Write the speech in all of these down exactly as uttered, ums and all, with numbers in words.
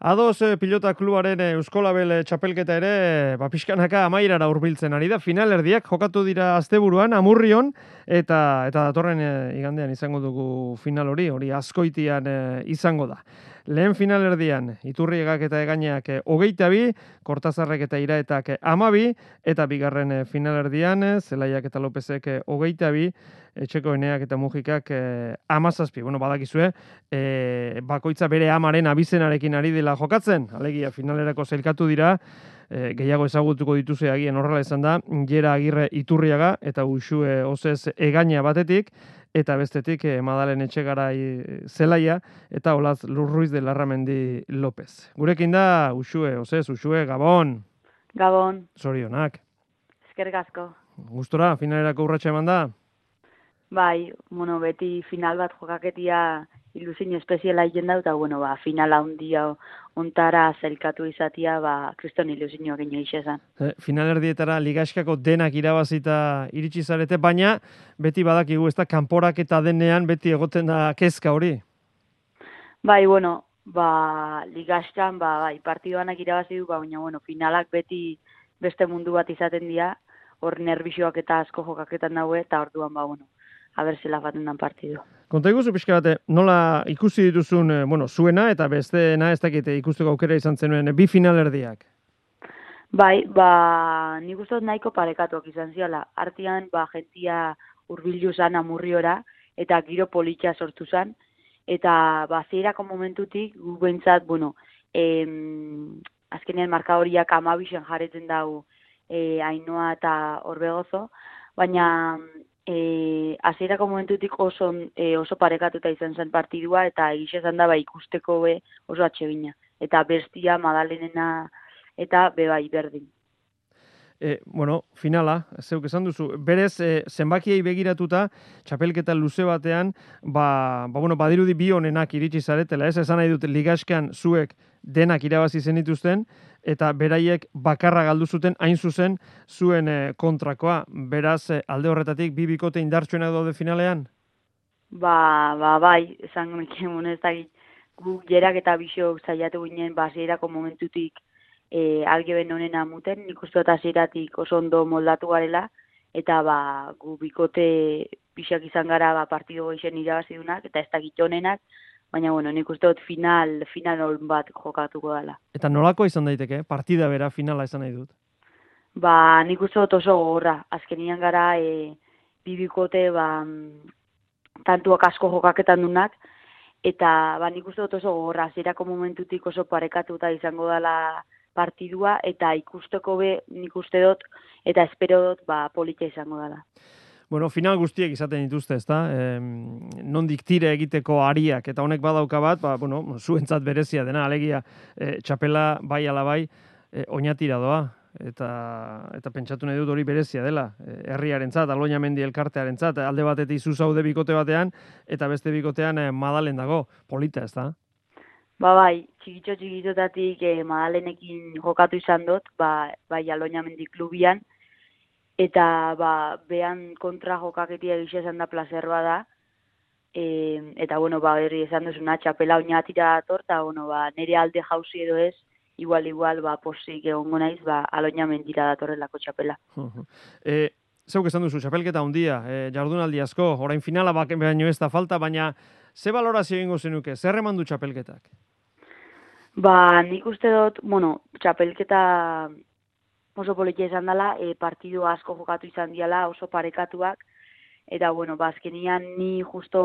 Ados eh, pilota klubaren eh, Euskolabel eh, txapelketa ere, ba, pixkanaka amairara hurbiltzen ari da. Finalerdiak jokatu dira asteburuan, Amurrion, eta eta datorren eh, igandean izango dugu final hori, hori Azkoitian eh, izango da. Lehen finalerdian, Iturriegak eta Egainak eh, hogeita bi, Kortazarrek eta Iraetak eh, amabi, eta bigarren eh, finalerdian, eh, Zelaiak eta Lopezek eh, hogeita bi, Etxeko Eneak eta Mujikak eh, amazazpi. Bueno, badakizue, eh, bakoitza bere amaren abizenarekin ari dela jokatzen, alegia finalerako zailkatu dira, e, gehiago ezagutuko dituzue agian horrela izan da, Jera Agirre Iturriaga eta Uxue Ozez Egaina batetik, eta bestetik e, Madalen Etxegarai Zelaia eta Olaz Lurruiz de Larramendi López. Gurekin da Uxue Ozez, Uxue, Gabon. Gabon. Zorionak. Eskerrik asko. Gustora, finalerako urratsa eman da? Bai, bueno, beti final bat jokaketia ilusio espeziala egin da, eta bueno, ba, finala handia ontara zelkatu izatia, ba, kriston ilusioak ino izan. E, finalerdietara ligaskako denak irabazita iritsi zarete, baina beti badakigu, ez da, kanporak eta denean beti egoten da kezka hori? Bai, bueno, ba, ligaskan, ba, bai, partidoanak irabazi du, ba, baina, bueno, finalak beti beste mundu bat izaten dira, hor nervioak eta asko jokaketan daue, eta orduan, ba, bueno, haber zela baten dan partidu. Konta iguzu pixka bate, nola ikusi dituzun, bueno, zuena eta besteena ez dakite ikusteko aukera izan zenuen bi finalerdiak? Bai, ba, nik uste dut nahiko parekatuak izan ziala. Artean, ba, jentia hurbildu zan Amurriora, eta giro politxa sortu zan, eta ba, zeirako momentutik, gu behintzat, bueno, em, azkenean markadoriak amabixen jarretzen dago e, Ainoa eta Orbegozo, baina E, azierako momentutik oso, e, oso parekatuta izan zen partidua, eta egixe zan da ba, ikusteko be oso atsegina. Eta bestia, Madalenena, eta be bai berdin. E, bueno, finala, zeuk esan duzu, berez e, zenbakiei begiratuta, txapelketa luze batean, ba, ba, bueno, badirudi bi honenak iritsi zaretela, ez esan nahi dut ligaskean zuek denak irabazi zenituzten, eta beraiek bakarra galdu zuten hain zuzen zuen e, kontrakoa. Beraz, e, alde horretatik bi bikote indartsuenak daude finalean? Ba, ba, bai, esan nekien, ez da, gu Jerak eta Bixok zaiatu ginen, ba, zierako momentutik e, algeben honena muten, nik uste eta zieratik oso ondo moldatu garela, eta ba, gu bikote Bixak izan gara ba, partido goixen irabazidunak, eta ez da honenak, baina, bueno, nik uste dut final, final bat jokatuko dela. Eta nolako izan daiteke? Partida bera, finala izan nahi dut? Ba, nik uste dut oso gogorra. Azkenian gara, e, bibikote, ba, tantuak asko jokaketan dunak, eta ba, nik uste dut oso gogorra. Zerako momentutik oso parekatuta izango dela partidua, eta ikusteko be, nik uste dut, eta espero dut, ba, polita izango dela. Bueno, final guztiek izaten dituzte, ezta? Eh, nondik tire egiteko ariak, eta honek badauka bat, ba, bueno, zuentzat berezia dena, alegia, eh, txapela bai ala bai, eh, oinatira doa, eta, eta pentsatu nahi dut hori berezia dela, eh, herriarentzat, Aloñamendi elkartearentzat, alde batetik zu zaude bikote batean, eta beste bikotean eh, Madalen dago, polita, ezta? Ba bai, txikitxo txikitzotatik eh, Madalenekin jokatu izan dut, ba, bai Aloñamendi klubian, eta ba, behan kontra jokaketia egixe esan da placer bada, e, eta bueno, ba, herri esan duzuna, txapela oinatira dator, eta bueno, ba, nire alde jauzi edo ez, igual, igual, ba, posik egongo naiz, ba, Aloñamendira datorrelako txapela. e, zeuk esan duzu, txapelketa handia, e, jardunaldi asko, orain finala bak, baino ez da falta, baina ze balorazio egingo zenuke, zer eman du txapelketak? Ba, nik uste dut, bueno, txapelketa oso politia izan dela, e, partidu asko jokatu izan diala, oso parekatuak, eta, bueno, bazkenian ni justo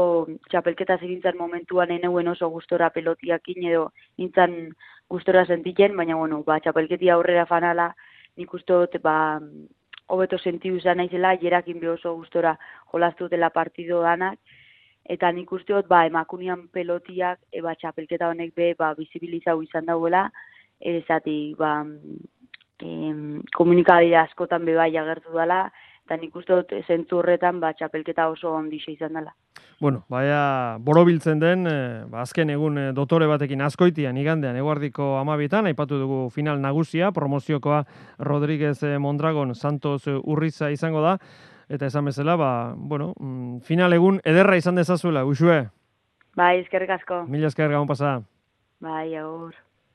txapelketa zirintzen momentuan eneuen oso gustora pelotiakin edo nintzen gustora sentitzen, baina, bueno, ba, txapelketia aurrera fanala, nik uste dut, ba, hobeto sentidu izan naizela, Jerakin be oso gustora jolaztu dela partidu danak, eta nik uste dut, ba, emakunian pelotiak, e, ba, txapelketa honek be, ba, bizibilizau izan dauela, ezatik, ba, komunikabide askotan bebai agertu dela, eta nik uste dut zentzu horretan ba, txapelketa oso ondixe izan dela. Bueno, baina borobiltzen den, eh, ba, azken egun eh, dotore batekin Azkoitian, igandean, eguardiko amabietan, aipatu dugu final nagusia, promoziokoa Rodríguez eh, Mondragon, Santos eh, Urriza izango da, eta esan bezala, ba, bueno, mm, final egun ederra izan dezazuela, Uxue. Bai, eskerrik asko. Mila esker gabon pasa. Bai, agur.